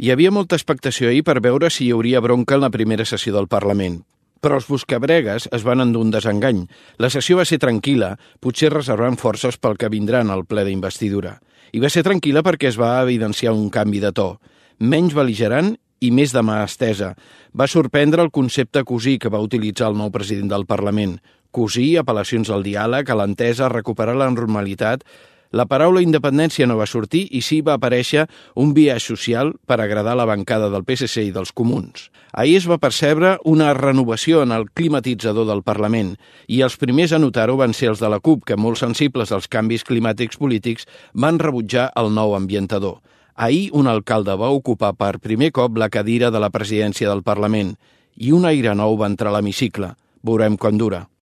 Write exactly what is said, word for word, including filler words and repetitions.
Hi havia molta expectació ahir per veure si hi hauria bronca en la primera sessió del Parlament. Però els buscabregues es van endur un desengany. La sessió va ser tranquil·la, potser reservant forces pel que vindrà en el ple d'investidura. I va ser tranquil·la perquè es va evidenciar un canvi de to. Menys bel·ligerant i més de mà estesa. Va sorprendre el concepte cosí que va utilitzar el nou president del Parlament. Cosí, apel·lacions al diàleg, a l'entesa, a recuperar la normalitat. La paraula independència no va sortir i sí va aparèixer un biaix social per agradar la bancada del P S C i dels comuns. Ahir es va percebre una renovació en el climatitzador del Parlament i els primers a notar-ho van ser els de la CUP, que molt sensibles als canvis climàtics polítics van rebutjar el nou ambientador. Ahir un alcalde va ocupar per primer cop la cadira de la presidència del Parlament i un aire nou va entrar a l'hemicicle. Veurem quan dura.